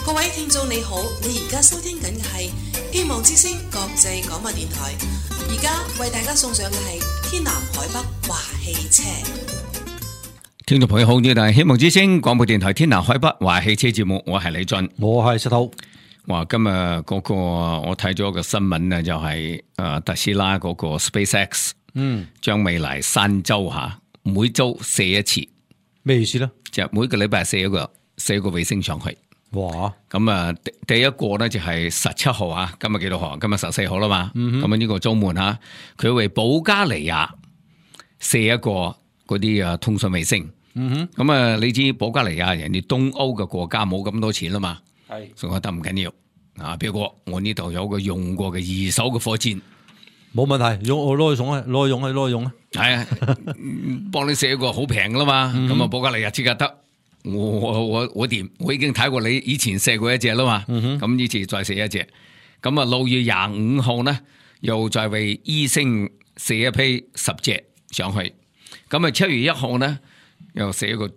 各位聽眾你好，你而家收聽緊嘅係希望之聲國際廣播電台，而家為大家送上嘅係天南海北話汽車。聽眾朋友好，呢度係希望之聲廣播電台天南海北話汽車節目，我係李俊，我係石頭。哇，今日嗰個我睇咗個新聞啊，就係特斯拉嗰個 SpaceX，將未來3週每週射一次，咩意思咧？就每個禮拜射一個衛星上去。哇！咁啊，第一個咧就係17號啊，今日幾多號？今日14號啦嘛。咁啊呢個週末嚇，佢為保加利亞射一個嗰啲通訊衛星。咁啊，你知保加利亞人哋東歐嘅國家冇咁多錢啦嘛，係，所以我覺得唔緊要啊。不過我呢度有個用過嘅二手嘅火箭，冇問題，我攞去用啊，攞去用啊，係啊，幫你射一個好平噶啦嘛。咁啊，保加利亞即刻得。我掂，我已經睇過你以前射過一隻啦嘛，咁呢次再射一隻，咁啊6月25號呢，又再為伊星射一批10隻上去，咁啊7月1號呢，又射一個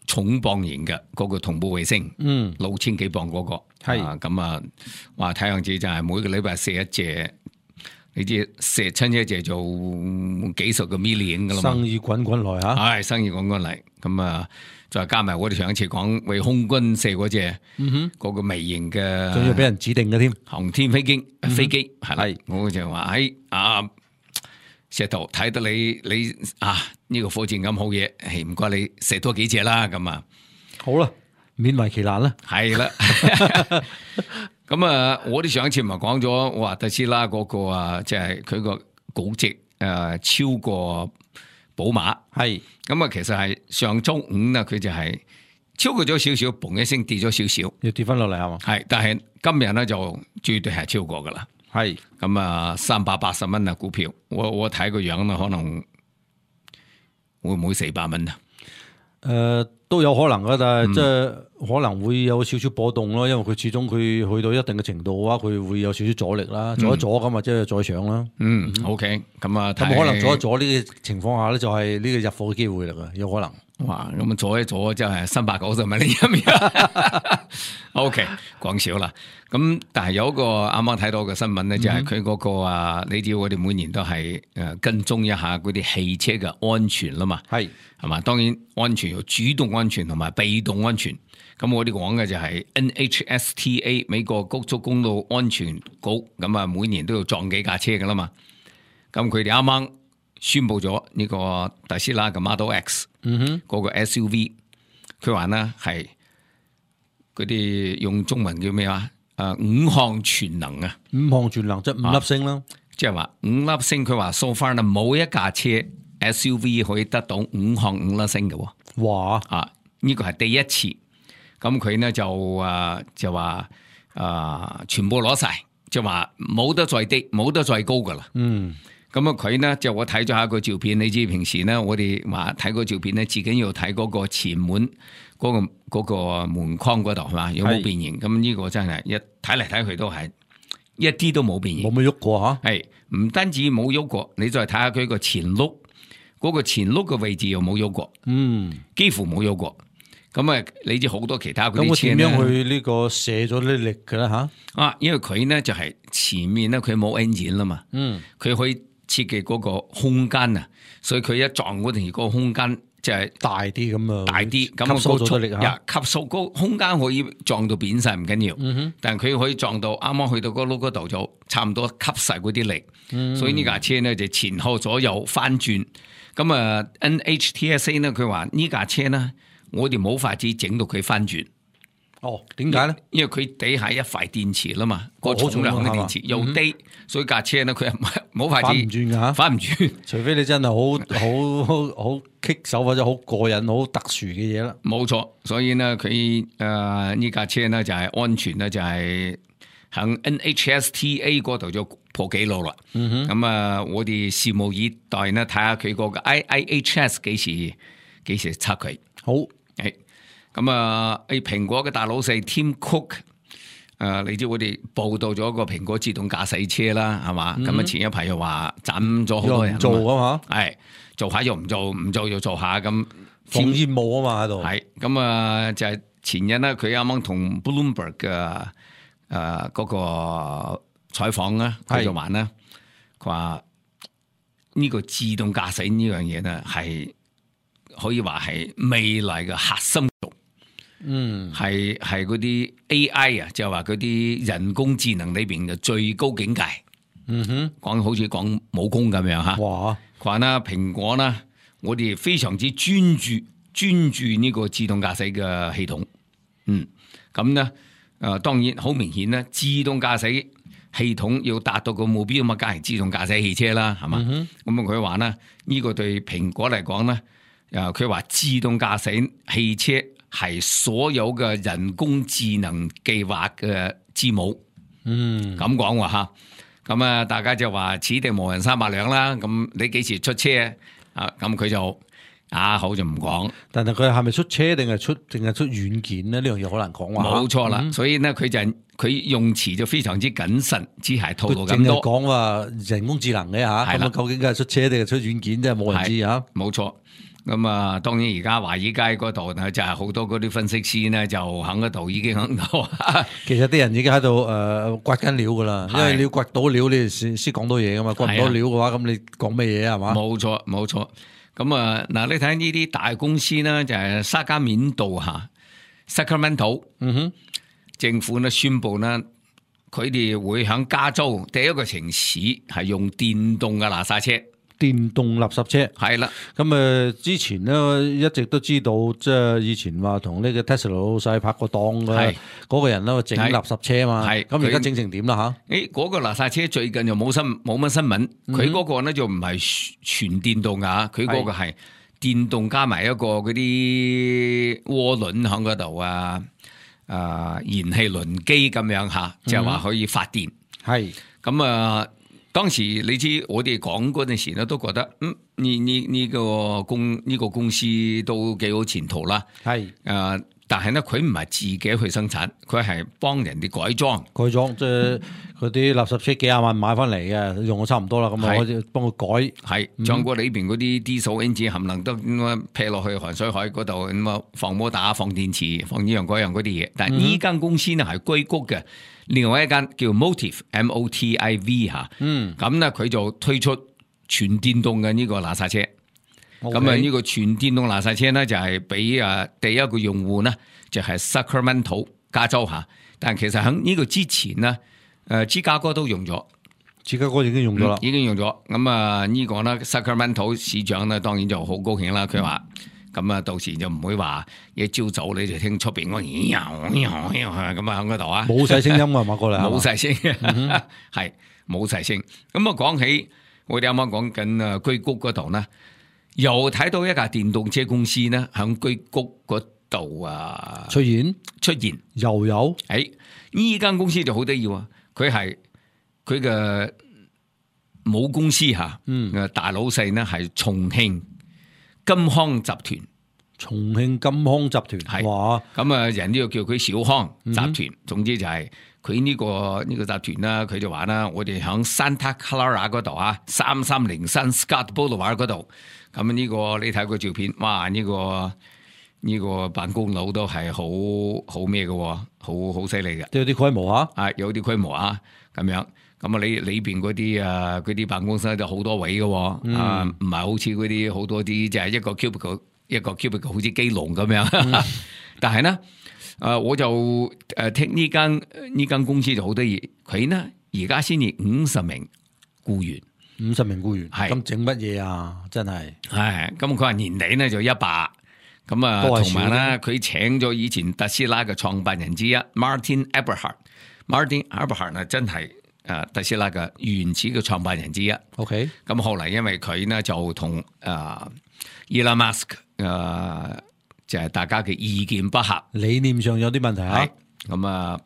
重磅型嘅嗰個同步衛星，6000幾磅嗰個，係咁啊，話睇樣子就係每個禮拜射一隻，你知射親一隻就幾十個 million 噶啦嘛，生意滾滾來吓，係生意滾滾嚟，咁啊。再加埋我哋上一次講為空軍射嗰隻，嗰個微型嘅，仲要俾人指定嘅添，航天飛機係啦，我就話石頭睇得你呢個火箭咁好嘢，唔該你射多幾隻啦，咁啊好啦，勉為其難啦，係啦，咁啊，我哋上一次咪講咗，我話特斯拉嗰個啊，即係佢個估值超過寶馬係，咁啊，其實係上周五呢，佢就係超過咗少少，嘣一聲跌咗少少，要跌翻落嚟係嘛？係，但係今日咧就絕對係超過噶啦，係，咁啊380蚊啊股票，我睇個樣啦，可能會唔會400蚊啊？都有可能噶，但係即係可能會有少少波動咯，因為佢始終佢去到一定嘅程度嘅話，佢會有少少阻力啦，阻一阻咁啊，即係再上啦。OK， 咁啊，咁可能阻一阻呢個情況下咧，就係呢個入貨嘅機會嚟噶，有可能。哇，咁啊阻一阻真係390蚊呢一面。OK， 講少啦。咁但係有一個啱啱睇到嘅新聞咧，就係佢嗰個你知我哋每年都係跟蹤一下嗰啲汽車嘅安全啦嘛。係嘛？當然安全有主動安全同埋被動安全。咁我哋講嘅就係 NHTSA 美國高速公路安全局，咁啊每年都要撞幾架車噶啦嘛。咁佢哋啱啱宣布咗呢個特斯拉嘅 Model X，嗰個 SUV， 佢話呢係嗰啲用中文叫咩話？5項全能啊！5項全能即係5粒星啦，即係話5粒星。佢話 so far 呢冇一架車 SUV 可以得到5項5粒星嘅。哇！呢個係第一次。咁佢呢就話全部攞晒，就話冇得再低，冇得再高噶啦。咁啊，佢呢就我睇咗下個照片，你知平時呢我哋話睇個照片呢，自己要睇嗰個前門嗰個門框嗰度係嘛，有冇變形？咁呢個真係一睇嚟睇去都係一啲都冇變形，冇乜喐過吓。係唔單止冇喐過，你再睇下佢個前轆，嗰個前轆嘅位置又冇喐過，幾乎冇喐過。咁啊，你知好多其他嗰啲車咧，咁我點樣去呢個射咗啲力嘅咧吓？因為佢呢就係前面咧佢冇 engine 啦嘛，佢可以設計嗰個空間啊，所以佢一撞嗰陣嗰個空間就係大啲咁啊，大啲咁吸收咗力吓，吸收個空間可以撞到扁晒唔緊要，但係佢可以撞到啱啱去到嗰轆嗰度就差唔多吸晒嗰啲力，所以呢架車呢就前後左右翻轉。咁啊 NHTSA 呢佢話呢架車呢，我哋冇法子整到佢翻轉。哦，點解咧？因為佢底下一塊電池啦嘛，個重量嘅電池又低，所以架車咧佢係冇法子翻唔轉噶，翻唔轉。除非你真係好棘手或者好過癮、好特殊嘅嘢啦。冇錯，所以呢，佢呢架車呢就係安全呢，就係喺 NHTSA 嗰度就破紀錄啦。咁啊，我哋拭目以待呢，睇下佢嗰個 IIHS 幾時測佢。好，咁啊，蘋果嘅大老細 Tim Cook，你知我哋報道咗個蘋果自動駕駛車啦，係嘛？咁啊前一排又話斬咗好多人做啊嘛，係做下又唔做，唔做又做下咁，放煙霧啊嘛喺度。係咁啊，就係前日咧，佢啱啱同 Bloomberg 嘅嗰個採訪咧，佢就話咧，佢話呢個自動駕駛呢樣嘢咧，係可以話係未來嘅核心。係嗰啲 AI 啊，就係話嗰啲人工智能裏邊嘅最高境界。講好似講武功咁樣吓。哇！佢話啦，蘋果啦，我哋非常之專注呢個自動駕駛嘅系統。咁咧，當然好明顯咧，自動駕駛系統要達到個目標咁啊，梗係自動駕駛汽車啦，係嘛？咁佢話咧，呢個對蘋果嚟講咧，佢話自動駕駛汽車係所有嘅人工智能計劃嘅之母。咁講喎吓。咁啊，大家就話此地無銀三百兩啦。咁你幾時出車啊？咁佢就好就唔講。但係佢係咪出車定係出軟件咧？呢樣嘢好難講話。冇錯啦，所以咧佢用詞就非常之謹慎，只係透露咁多。講話人工智能嘅吓，咁究竟係出車定係出軟件，真係冇人知吓。冇錯。咁啊，當然而家華爾街嗰度呢，就係好多嗰啲分析師呢，就喺嗰度已經喺度。其實啲人已經喺度掘緊料噶啦，因為你要掘到料，你先講到嘢噶嘛。掘唔到料嘅話，咁你講咩嘢係嘛？冇錯，冇錯。咁啊，嗱，你睇呢啲大公司呢，就係沙加緬度吓 Sacramento，政府呢宣布呢，佢哋會喺加州第一個城市係用電動嘅垃圾車。電動垃圾車係啦，咁之前咧一直都知道，即係以前話同呢個 Tesla 老細拍過檔嘅嗰個人咧整垃圾車嘛，咁而家整成點啦吓？嗰個垃圾車最近就冇乜新聞，佢嗰個咧就唔係全電動噶，佢嗰個係電動加埋一個嗰啲渦輪喺嗰度燃氣輪機咁樣吓，就係話可以發電。係咁啊。當時你知我哋講嗰陣時咧，都覺得呢個公司都幾好前途啦。但係咧佢唔係自己去生產，佢係幫人哋改裝，即係嗰啲垃圾車幾廿萬買翻嚟嘅，用咗差唔多啦，咁啊可以幫佢改。將過裏邊嗰啲diesel engine冚唪唥都劈落去鹹水海嗰度，咁啊放摩打、放電池、放呢樣嗰樣嗰啲嘢。但係呢間公司呢係硅谷嘅。另外一間叫 Motive MOTIV 吓，咁咧佢就推出全電動嘅呢個垃圾車，咁呢個全電動垃圾車咧就係俾第一個用戶呢就係 Sacramento 加州吓，但其實喺呢個之前呢，芝加哥都用咗，芝加哥已經用咗啦，已經用咗，咁呢個呢 Sacramento 市長呢當然就好高興啦，佢話。咁啊，到時就唔會話一朝早你就聽出邊嗰咁喺嗰度啊，冇晒聲音啊嘛，過嚟冇晒聲，係冇晒聲。咁啊，講起我哋啱啱講緊硅谷嗰度呢，又睇到一架電動車公司呢，喺硅谷嗰度出現又有。呢間公司就好得意啊，佢係佢嘅母公司吓，大老細呢係重慶金康集團，重慶金康集團係哇，咁人都要叫佢小康集團。總之就係佢呢個集團啦，佢就話啦，我哋響 Santa Clara 嗰度3303 Scott Boulevard 嗰度，咁呢個你睇個照片，哇！呢個辦公樓都係好咩嘅，好犀利嘅，都有啲規模有啲規模咁樣。咁你裏邊嗰啲辦公室就好多位嘅，唔係好似嗰啲好多啲就係一個 cubicle 好似雞籠咁樣。但係呢，我就聽呢間公司就好得意，佢呢而家先至50名僱員，50名僱員，係咁整乜嘢啊？真係咁佢話年底呢就100，咁同埋呢佢請咗以前特斯拉嘅創辦人之一 Martin Eberhard 呢真係。特斯拉嘅原始嘅創辦人之一。OK， 咁後嚟因為佢呢就同Elon Musk 就係大家嘅意見不合，理念上有啲問題咁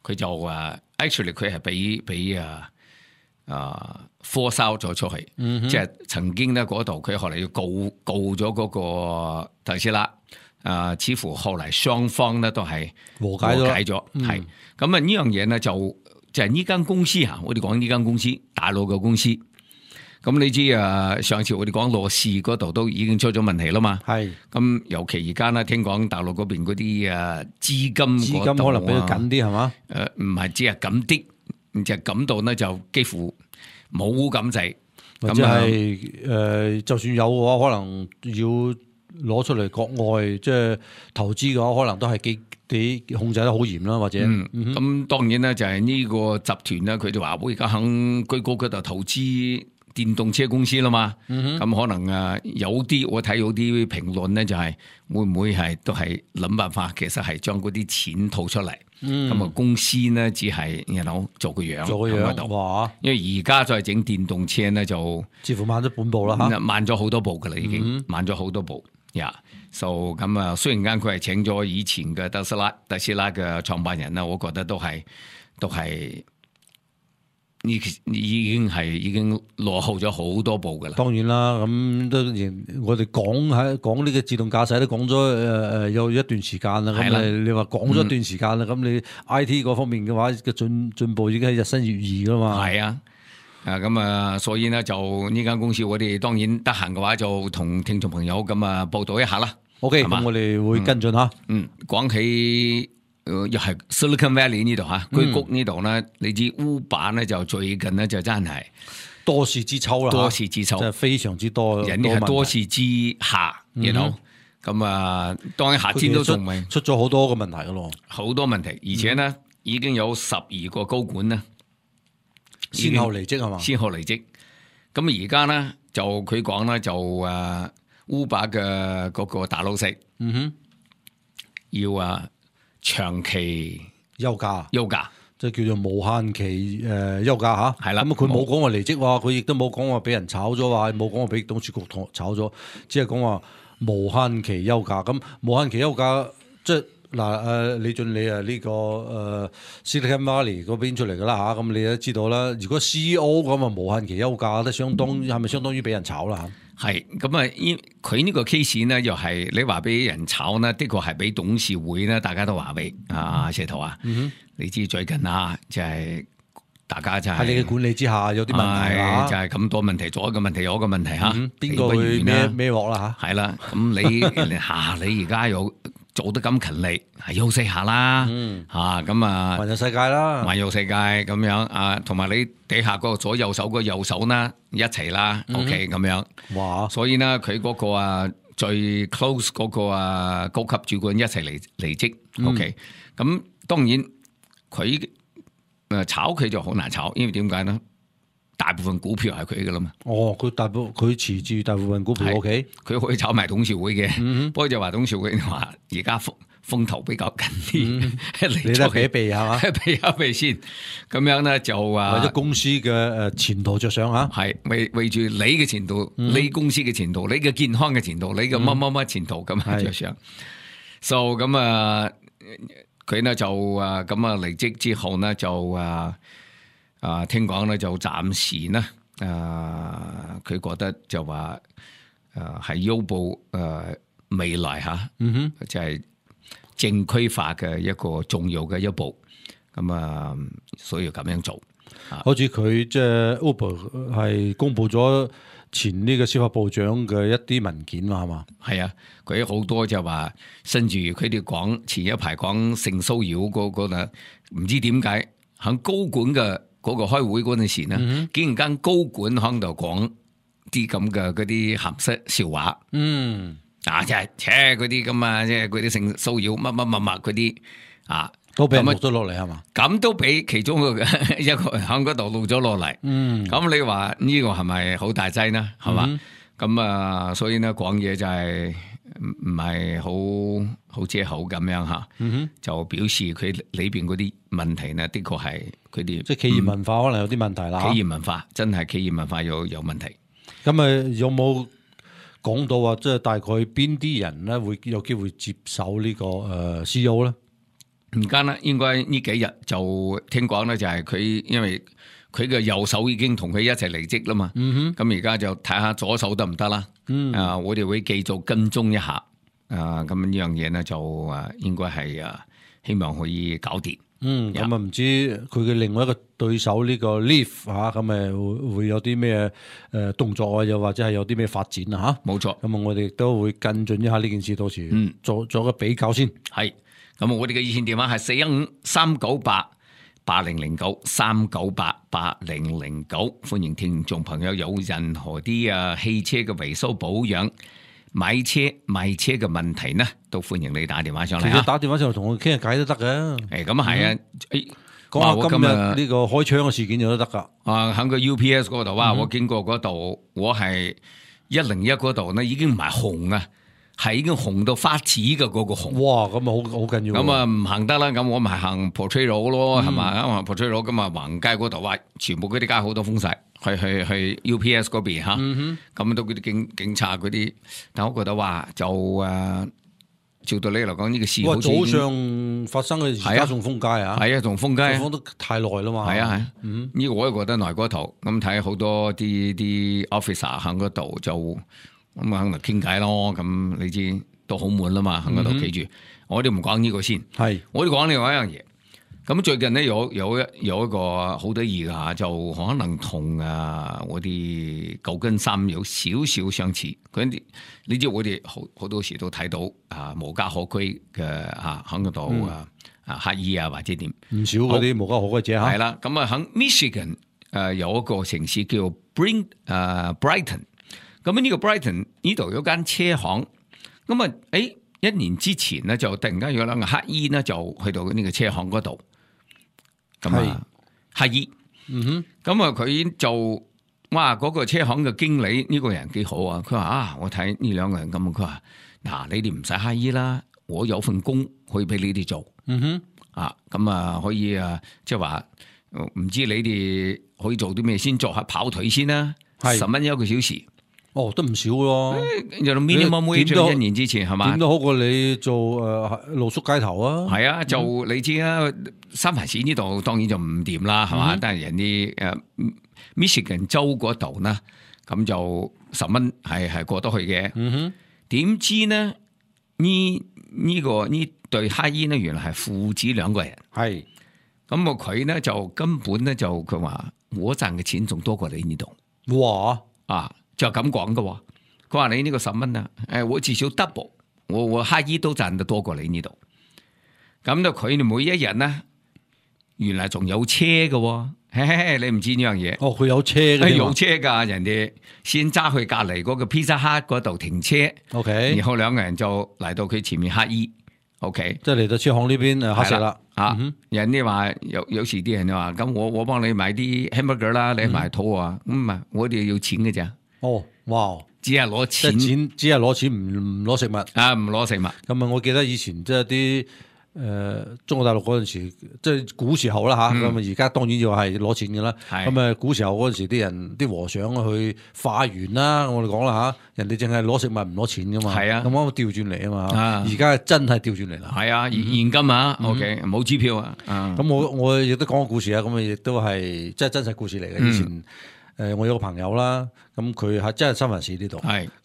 佢就actually 佢係俾force out咗出去，即係曾經呢嗰度佢後嚟要告咗嗰個特斯拉，似乎後嚟雙方呢都係和解咗，係咁呢樣嘢呢就係呢間公司我哋講呢間公司大陸嘅公司，咁你知上次我哋講羅氏嗰度都已經出咗問題啦嘛。係咁尤其而家咧，聽講大陸嗰邊嗰啲資金可能比較緊啲係嘛？唔係只係緊啲，就係緊到咧就幾乎冇咁滯。或者係就算有嘅話，可能要攞出嚟國外即係投資嘅話，可能都係幾控制得好嚴啦，或者咁當然咧就係呢個集團咧，佢哋話會而家喺硅谷嗰度投資電動車公司啦嘛。咁可能有啲我睇到啲評論咧，就係會唔會係都係諗辦法，其實係將嗰啲錢套出嚟。咁公司咧只係做個樣，哇！因為而家再整電動車咧就似乎慢咗半步啦嚇，慢咗好多步噶啦，已經慢咗好多步呀。咁雖然間佢係請咗以前嘅特斯拉嘅創辦人啦，我覺得都係已經落後咗好多步噶啦。當然啦，咁都我哋講呢個自動駕駛都講咗有一段時間啦。咁你話講咗一段時間啦，咁你 IT 嗰方面嘅話嘅進步已經係日新月異噶嘛。係啊。所以呢，就呢間公司我哋當然得閒嘅話就同聽眾朋友咁報道一下啦。OK， 咁我哋會跟進吓。講起又係 Silicon Valley 呢度嚇，硅谷呢度呢，你知 Uber 呢就最近呢就真係多事之秋啦，多事之秋，真係非常之多，人哋係多事之下咁當然夏天都仲未出咗好多個問題噶咯，好多問題，而且呢已經有12個高管呢先後離職係嘛？先後離職，咁而家呢就佢講呢就Uber 嘅嗰個大老細，要長期休假，即係叫做無限期休假嚇。係啦，咁佢冇講話離職喎，佢亦都冇講話俾人炒咗，話冇講話俾董事局炒咗，只係講話無限期休假。咁無限期休假即係嗱李俊你呢個Silicon Valley 嗰邊出嚟㗎啦嚇，咁你都知道啦。如果 CEO 咁無限期休假，都係咪相當於俾人炒啦嚇？係咁佢呢個 case 呢，又係你話俾人炒呢，的確係俾董事會呢，大家都話俾石頭你知最近就係大家就係喺你嘅管理之下有啲問題就係咁多問題，左一個問題，右一個問題嚇，邊個會孭鑊啦嚇？係啦，咁你而家有做得咁勤力，係休息下啦咁環遊世界啦，環遊世界咁樣同埋你底下嗰個左右手嗰個右手啦一齊啦，OK 咁樣。哇！所以呢，佢嗰個最 close 嗰個高級主管一齊離職，OK。咁當然佢炒佢就好難炒，因為點解呢？大部分股票係佢噶啦嘛。佢持住大部分股票 ，OK。佢可以炒埋董事會嘅，不過就話董事會話而家風頭比較緊啲，你都避一避係嘛？避一避先，咁樣咧就為咗公司嘅前途着想嚇，係為住你嘅前途，你公司嘅前途，你嘅健康嘅前途，你嘅乜乜乜前途咁着想。So 咁佢呢就咁離職之後呢就聽講咧就暫時呢佢覺得就話係優步未來就係正規化嘅一個重要嘅一步，咁所以要咁樣做。好似佢即係 Uber 係公布咗前呢個司法部長嘅一啲文件嘛，係嘛？係啊，佢好多就話，甚至佢哋講前一排講性騷擾嗰個啦，唔知點解喺高管嘅嗰個開會嗰陣時呢，竟然間高管喺度講啲咁嘅嗰啲鹹濕笑話，即係嗰啲咁即係嗰啲性騷擾乜嗰啲都俾人錄咗落嚟係嘛？咁都俾其中一個喺嗰度錄咗落嚟，咁你話呢個係咪好大劑呢？係嘛？咁所以呢講嘢就係唔係好遮口咁樣嚇，就表示佢裏邊嗰啲問題呢，的確係佢哋即係企業文化可能有啲問題啦。企業文化真係企業文化有問題。咁有冇講到話即係大概邊啲人咧會有機會接手呢個CEO 咧？而家呢應該呢幾日就聽講咧，就係佢因為佢嘅右手已經同佢一齊離職啦嘛。咁而家就睇下左手得唔得啦。我哋會繼續跟蹤一下。咁呢樣嘢呢，就應該係希望可以搞掂。咁啊唔知佢嘅另外一個對手呢個 Leaf 嚇，咁會有啲咩動作啊，又或者係有啲咩發展啊嚇？冇錯。咁啊，我哋都會跟進一下呢件事，到時做個比較先。係。咁我哋嘅熱線電話係415-398-8009 398-8009，歡迎聽眾朋友有任何啲汽車嘅維修保養、買車賣車嘅問題呢，都歡迎你打電話上嚟。其實打電話上嚟同我傾下偈都得嘅。咁啊係啊，講下今日呢個開槍嘅事件就都得噶。喺個 UPS 嗰度我經過嗰度，我係101嗰度呢，已經唔係紅啊。係已經紅到發紫嘅嗰個紅，哇！咁啊好緊要。咁啊唔行得啦，咁我咪行 Potrero 咯，係嘛？行 Potrero 咁啊橫街嗰度，全部嗰啲街好多封晒，去 UPS 嗰邊吓，咁都嗰啲警察嗰啲，但我覺得話就照道理嚟講呢個事好似早上發生嘅，而家仲封街啊，係啊，仲封街，封得太耐啦嘛，係啊係，呢個我都覺得耐過頭，咁睇好多啲 officer 喺嗰度就。咁啊，肯定傾偈咯。咁你知都好悶啦嘛，喺嗰度企住。我哋唔講呢個先，係我哋講另外一樣嘢。咁最近咧有一個好得意嘅嚇，就可能同我哋舊金山有少少相似。啲你知我哋好多時都睇到無家可歸嘅喺嗰度乞衣啊或者點，唔少嗰啲無家可歸者嚇。係啦，咁啊喺 Michigan 有一個城市叫 Brighton。咁呢個 Brighton 呢度有間車行，咁啊，一年之前咧就突然間有兩個乞衣咧就去到呢個車行嗰度，咁啊乞衣，咁啊佢就哇嗰個車行嘅經理呢個人幾好啊，佢話我睇呢兩個人咁，佢話嗱你哋唔使乞衣啦，我有份工可以俾你哋做，咁啊可以即係話唔知你哋可以做啲咩先，做下跑腿先啦，10蚊一個小時。哦，都唔少咯，有 minimum wage 一年之前係嘛？點都好過你做露宿街頭啊！係啊，就你知啊，三藩市呢度當然就唔掂啦，係嘛？但係人哋Michigan 州嗰度呢，咁就10蚊係過得去嘅。點知呢？呢對乞衣呢，原來係父子兩個人。係咁佢呢就根本呢就佢話我賺嘅錢仲多過你呢度。哇！就咁講嘅，佢話你呢個10蚊啊，我至少 double， 我乞衣都賺得多過你呢度。咁就佢哋每一日呢，原來仲有車嘅，你唔知呢樣嘢。哦，佢有車嘅，有車噶，人哋先揸去隔籬嗰個 Pizza Hut 嗰度停車，OK，然後兩個人就嚟到佢前面乞衣 ，OK，即係嚟到車行呢邊乞食啦。人哋話有時啲人話咁，我幫你買啲 hamburger 啦，你買肚啊，咁啊，我哋要錢嘅咋。哦，哇！只係攞錢，只係攞錢，唔攞食物啊！唔攞食物。咁啊，我記得以前即係啲中國大陸嗰陣時，即係古時候啦吓。咁啊，而家當然要係攞錢嘅啦。咁啊，古時候嗰陣時啲人啲和尚去化緣啦，我哋講啦吓，人哋淨係攞食物唔攞錢噶嘛。係啊，咁啱調轉嚟啊嘛。而家真係調轉嚟啦。係啊，現金啊，OK，冇支票啊。咁我亦都講個故事啊，咁啊亦都係即係真實故事嚟嘅。以前。我有個朋友啦，咁佢係真係三藩市呢度，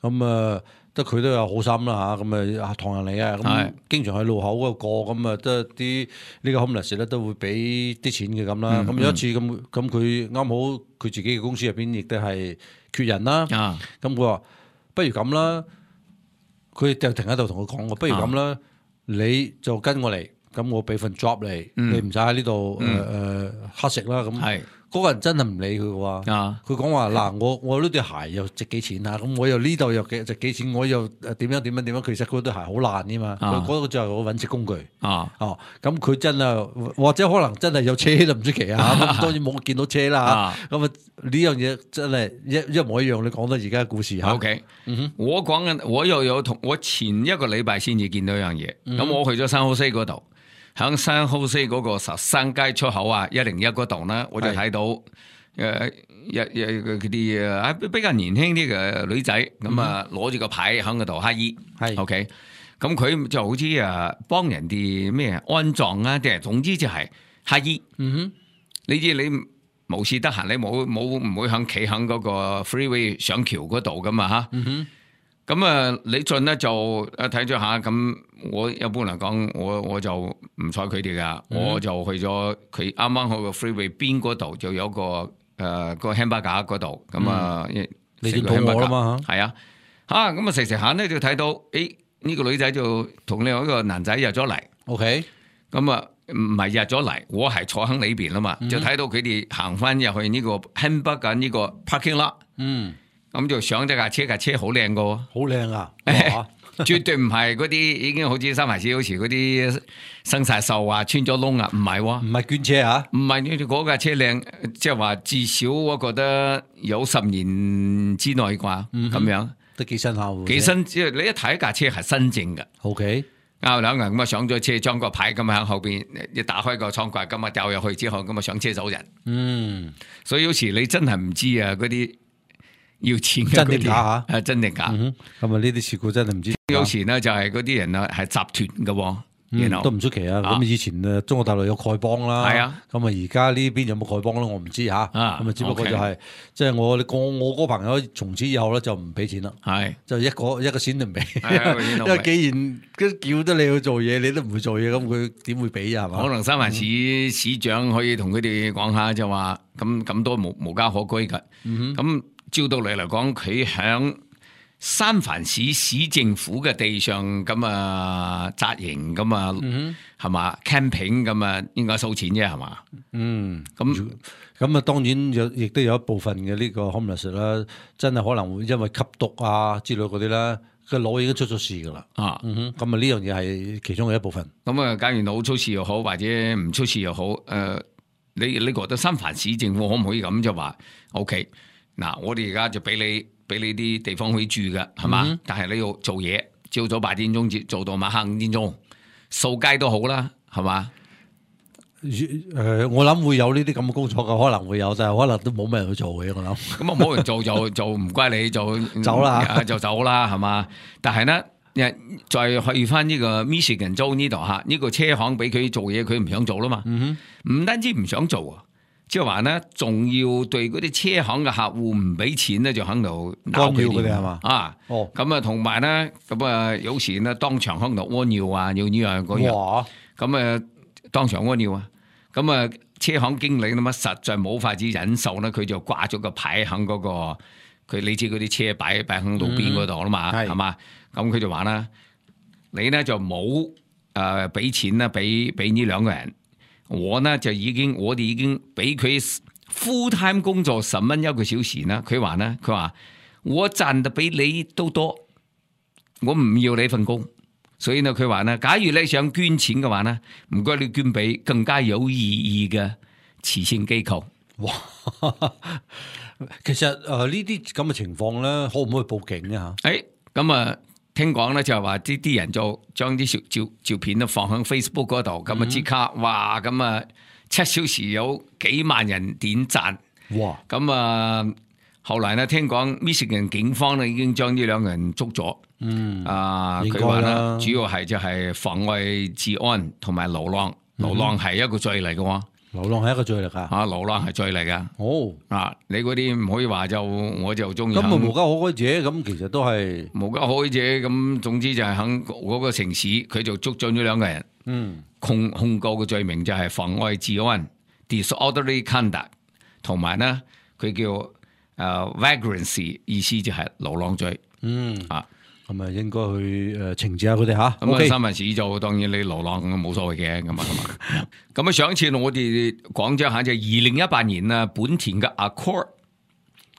咁啊，得佢都有好心啦嚇，咁啊唐人嚟嘅，咁經常喺路口嗰度過，咁啊得啲呢個 homeless 咧都會俾啲錢嘅咁啦，咁有一次咁佢啱好佢自己嘅公司入邊亦都係缺人啦，咁佢話不如咁啦，佢就停喺度同佢講，不如咁啦，你就跟我嚟，咁我俾份 job 你，你唔使喺呢度乞食啦咁。嗰個人真係唔理佢嘅喎，佢講話嗱，我呢對鞋又值幾錢啊？咁我又呢度又值幾錢？我又點樣？其實佢對鞋好爛嘅嘛，佢嗰個就係我揾食工具。咁佢真係或者可能真係有車都唔出奇啊！咁當然冇見到車啦。咁啊呢樣嘢真係一模一樣。你講到而家嘅故事嚇。OK，我講緊我又有同我前一個禮拜先至見到一樣嘢。咁我去咗San Jose嗰度。喺San Jose嗰個13街出口101嗰度咧，我就睇到嗰啲比較年輕啲嘅女仔，咁啊攞住個牌喺嗰度乞衣，OK，咁佢就好似幫人哋咩安葬啊，定係總之就係乞衣。你知你無事得閒，你唔會企喺嗰個 freeway 上橋嗰度噶嘛嚇。咁你進咧就睇咗下，咁我一般嚟講，我就唔睬佢哋噶，我就去咗佢啱啱去個 freeway 邊嗰度就有個個 hamburger 嗰度，咁啊，你都肚餓啦嘛係啊，咁啊食食下咧就睇到，誒呢個女仔就同另外一個男仔入咗嚟 ，OK，咁啊唔係入咗嚟，我係坐喺裏邊啦嘛，就睇到佢哋行翻入去呢個 hamburger 呢個 parking lot，咁就上咗架車好靚噶，好靚啊！絕對唔係嗰啲已經好似三藩市好似嗰啲生晒鏽啊，穿咗窿啊，唔係喎，唔係捐車啊，唔係呢嗰架車靚，即係話至少我覺得有10年之內啩，咁樣都幾新下喎，幾新，即係你一睇架車係新淨嘅。OK，兩個人咁啊上咗車，裝個牌咁喺後邊，一打開個倉櫃咁啊掉入去之後，咁啊上車走人。所以有時你真係唔知啊，嗰啲要錢嘅真定假嚇，真定假。咁啊呢啲事故真係唔知。有時呢就係嗰啲人啊係集團嘅喎，都唔出奇啊！咁以前中國大陸有丐幫啦，係啊，咁啊而家呢邊有冇丐幫咧？我唔知嚇，咁啊只不過就係即係我嗰個朋友從此以後咧就唔俾錢啦，係就一個錢都唔俾，因為既然叫得你去做嘢，你都唔會做嘢，咁佢點會俾啊？係嘛？可能三藩市市長可以同佢哋講下，就話咁多無家可歸㗎，咁照道理嚟講，佢響三藩市市政府嘅地上咁啊紮營咁啊，係嘛 camping 咁啊，應該收錢啫係嘛？咁啊，當然亦都有一部分嘅呢個 homeless 啦，真係可能會因為吸毒啊之類嗰啲啦，個腦已經出咗事噶啦。咁啊呢樣嘢係其中嘅一部分。咁啊，假如腦出事又好，或者唔出事又好，你覺得三藩市政府可唔可以咁就話 OK？嗱，我哋而家就俾你啲地方可以住嘅，係嘛？但係你要做嘢，朝早8點鐘做到晚黑5點鐘，掃街都好啦，係嘛？我諗會有呢啲咁嘅工作嘅，可能會有，但係可能都冇咩人去做嘅，我諗。咁啊冇人做就唔怪你，就走啦，就走啦，係嘛？但係呢，再去翻呢個 Michigan 州呢度嚇，呢個車行俾佢做嘢，佢唔想做啦嘛。唔單止唔想做啊！即係話咧，仲要對嗰啲車行嘅客戶唔俾錢咧，就喺度鬧佢哋係嘛？咁啊，同埋咧，咁啊，有時咧當場喺度屙尿啊，要呢樣嗰樣，咁啊，當場屙尿啊，咁啊，車行經理咁啊，實在冇法子忍受咧，佢就掛咗個牌喺嗰個，你知嗰啲車擺喺路邊嗰度啦嘛，係嘛？咁佢就話啦，你咧就冇俾錢啦，俾呢兩個人。我哋已經俾佢 full time 工作10蚊1個小時啦。佢話我賺得比你都多，我唔要你份工。所以呢，佢話呢，假如你想捐錢嘅話呢，唔該你捐俾更加有意義嘅慈善機構。哇！其實呢啲咁嘅情況咧，可唔可以報警咧嚇？咁啊。聽講咧就係話啲人就將啲照片都放喺 Facebook 嗰度，咁啊即刻哇咁啊7小時有幾萬人點讚，哇！咁啊後來呢聽講 Michigan 警方呢已經將呢兩個人捉咗，佢話呢主要係就係妨礙治安同埋流浪係一個罪嚟嘅喎。流浪係一個罪嚟㗎，流浪係罪嚟㗎。你嗰啲唔可以話我就中意。咁無家可歸者，咁其實都係無家可歸者。咁總之就係喺嗰個城市，佢就捉咗呢兩個人。控告嘅罪名就係妨礙治安 （disorderly conduct），同埋呢佢叫vagrancy， 意思就係流浪罪。咁啊，應該去懲治下佢哋嚇。咁三藩市就當然你流浪冇所謂嘅咁啊。咁啊，上一次我哋講咗下就2018年啊，本田嘅 Accord，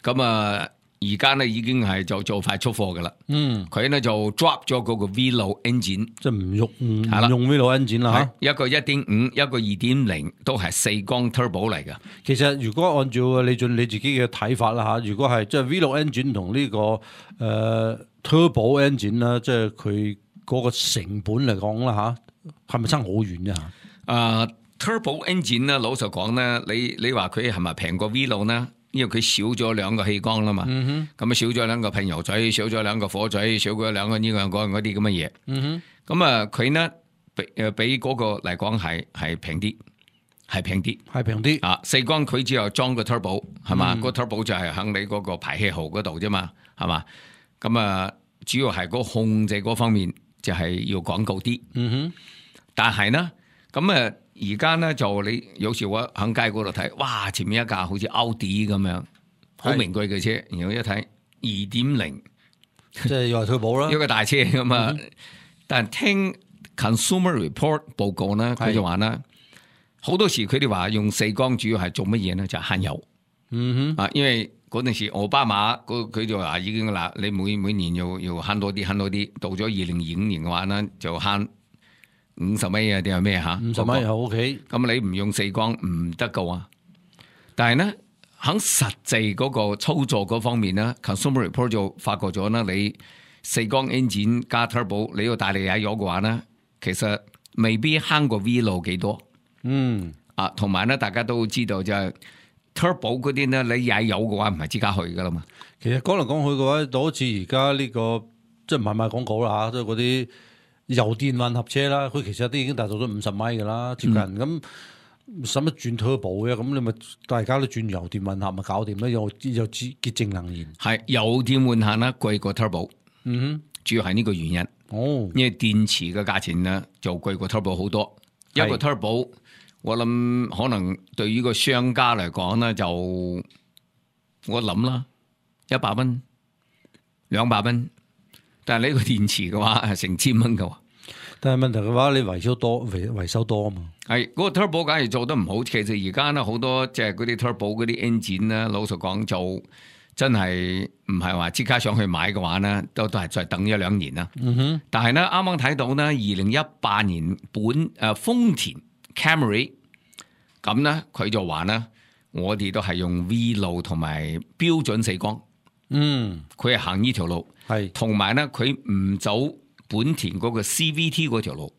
咁啊而家呢已經係就快出貨噶啦。佢呢就 drop 咗嗰個 V6 engine， 即係唔用 V6 engine 啦嚇。一個 1.5， 一個 2.0， 都係4缸 turbo 嚟噶。其實如果按照你自己嘅睇法啦嚇，如果係即係 V6 engine 同呢個Turbo engine 啦，即係佢嗰個成本嚟講啦嚇，係咪差好遠啫嚇？Turbo engine 咧，老實講咧，你話佢係咪平過 V6 呢？因為佢少咗2個氣缸啦嘛，咁啊少咗2個噴油嘴，少咗2個火嘴，少咗2個呢樣嗰啲咁嘅嘢。咁啊，佢呢比嗰個嚟講係平啲，係平啲。4缸佢只有裝個 turbo 係嘛，個 turbo 就係喺你嗰個排氣喉嗰度啫嘛，係嘛。咁啊，主要係個控制嗰方面就係要廣告啲。嗯但係呢，咁而家呢，就你有時我喺街嗰度睇，哇！前面一架好似奧迪咁樣，好名貴嘅車，然後一睇2.0，哼，即係又係退保啦一。個大車咁啊。但係聽 Consumer Report 報告呢，佢就話呢，好多時佢哋話用四缸主要係做乜嘢呢？就係慳油。嗯哼，因為嗰陣時奧巴馬佢就話已經啦，你每年要慳多啲，到咗2025年嘅話呢，就慳50米啊定係咩嚇50米又 OK。咁你唔用四缸唔得噶喎。但係呢，喺實際嗰個操作嗰方面呢 Consumer Report 就發覺咗啦，你四缸 engine 加 turbo 你要大力踩油嘅話呢，其實未必慳過 V 路幾多。嗯，同埋咧，大家都知道就係 turbo 嗰啲咧，你踩油嘅話唔係即刻去噶啦嘛。其實講嚟講去嘅話，就好似而家呢個即係唔係賣廣告啦嚇，即係嗰啲油電混合車啦，佢其實都已經達到咗50米噶啦，接近咁。使乜轉 turbo 嘅？咁你咪大家都轉油電混合咪搞掂啦，又潔淨能源。係油電混合咧貴過 turbo，主要係呢個原因。哦，因為電池嘅價錢咧就貴過 turbo 好多。一個 turbo 我諗可能對於個商家嚟講咧，就我諗啦，100蚊、200蚊，但係呢個電池嘅話係成千蚊嘅喎。但係問題嘅話，你維修多啊嘛。係嗰個 turbo 假如做得唔好，其實而家咧好多即係嗰啲 turbo 嗰啲 engine 咧，老實講就真係唔係話即刻上去買嘅話咧，都係再等1-2年啦。但係咧啱啱睇到咧，2018年豐田 Camry 咁咧，佢就話咧，我哋都係用 V 路同埋標準四缸。佢係行呢條路，係同埋咧佢唔走本田嗰個 CVT 嗰條路，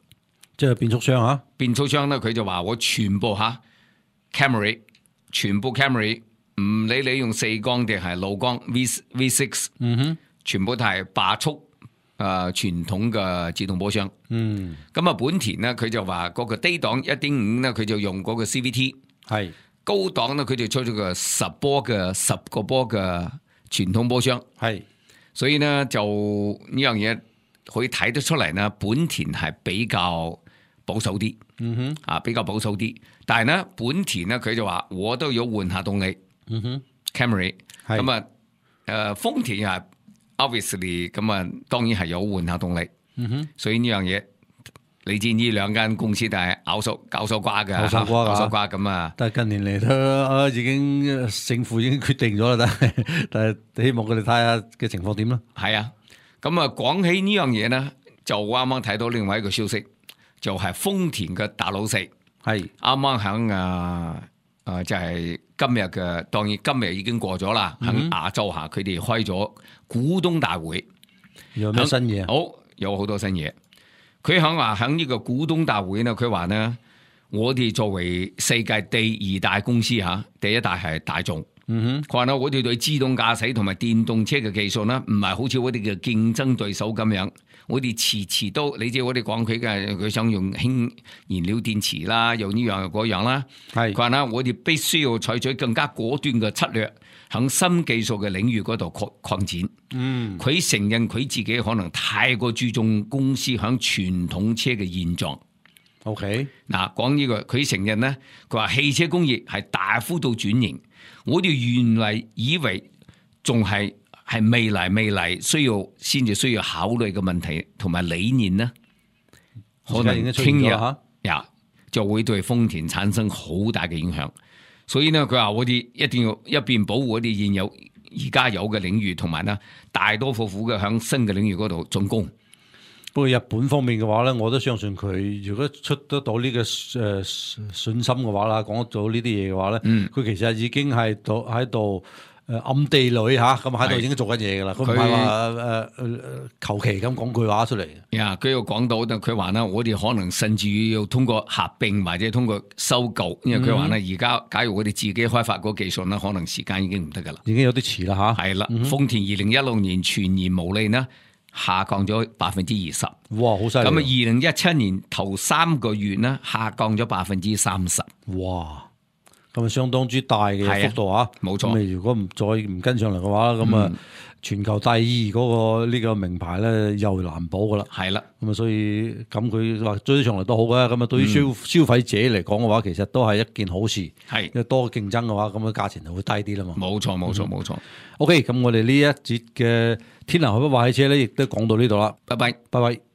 即係變速箱嚇。變速箱咧，佢就話我全部Camry， 全部 Camry， 唔理你用四缸定係六缸 V6，全部都係8速傳統嘅自動波箱。咁啊，本田咧佢就話嗰個低檔 1.5 咧，佢就用嗰個 CVT， 係高檔咧佢就出咗個10個波嘅傳統波箱。係，所以咧就呢樣嘢。可以睇得出嚟呢，本田係比較保守啲，比較保守啲。但係呢，本田呢，佢就話我都有換下動力，Camry 咁啊，豐田又係 obviously 咁啊，當然係有換下動力。所以呢樣嘢，你知呢兩間公司都係搞手瓜嘅，搞手瓜咁啊。但係近年嚟都已經勝負已經決定咗啦，但係希望佢哋睇下嘅情況點啦。係啊。咁啊，講起呢樣嘢呢，就啱啱睇到另外一個消息，就係豐田嘅大老細，係啱啱喺就係今日嘅，當然今日已經過咗啦。喺亞洲下，佢哋開咗股東大會，有咩新嘢？好，有好多新嘢。佢喺呢個股東大會呢，佢話呢，我哋作為世界第2大公司第一大係大眾。佢話咧，我哋對自動駕駛同埋電動車嘅技術呢，唔係好似我哋嘅競爭對手咁樣，我哋遲都，你知我哋講佢想用氫燃料電池啦，又呢樣又嗰樣啦。係佢話咧，我哋必須要採取更加果斷嘅策略，喺新技術嘅領域嗰度擴展。佢承認佢自己可能太過注重公司喺傳統車嘅現狀。OK， 嗱講呢個，佢承認呢，佢話汽車工業係大幅度轉型。我哋原嚟以為仲係未來先至需要考慮嘅問題同埋理念呢，可能聽日就會對豐田產生好大嘅影響。所以呢，佢話我哋一定要一邊保護我哋現有而家有嘅領域，同埋呢大多副嘅響新嘅領域嗰度進攻。不過日本方面嘅話咧，我都相信佢如果出得到呢個信心嘅話啦，講得到呢啲嘢嘅話咧，佢其實已經係喺度暗地裏咁喺度已經做緊嘢噶啦。佢唔係話求其咁講句話出嚟。呀，佢又講到，佢話咧，我哋可能甚至要通過合併或者通過收購，因為佢話咧，而家假如我哋自己開發個技術咧，可能時間已經唔得噶啦，已經有啲遲啦嚇。係啦，豐田2016年全年毛利呢，下降咗20%，哇，好犀利！咁啊，2017年頭3個月呢，下降咗30%，哇，咁啊相當之大嘅幅度啊，冇錯。咁如果唔跟上嚟嘅話，咁全球第二嗰個呢個名牌咧又難保噶啦。係啦，咁啊，所以咁佢話追上嚟都好嘅。咁啊，對於消費者嚟講嘅話，其實都係一件好事。係因為多競爭嘅話，咁嘅價錢就會低啲啦嘛。冇錯冇錯冇錯。OK，咁我哋呢一節嘅天南海北話汽車咧，亦都講到呢度啦。拜拜。拜拜。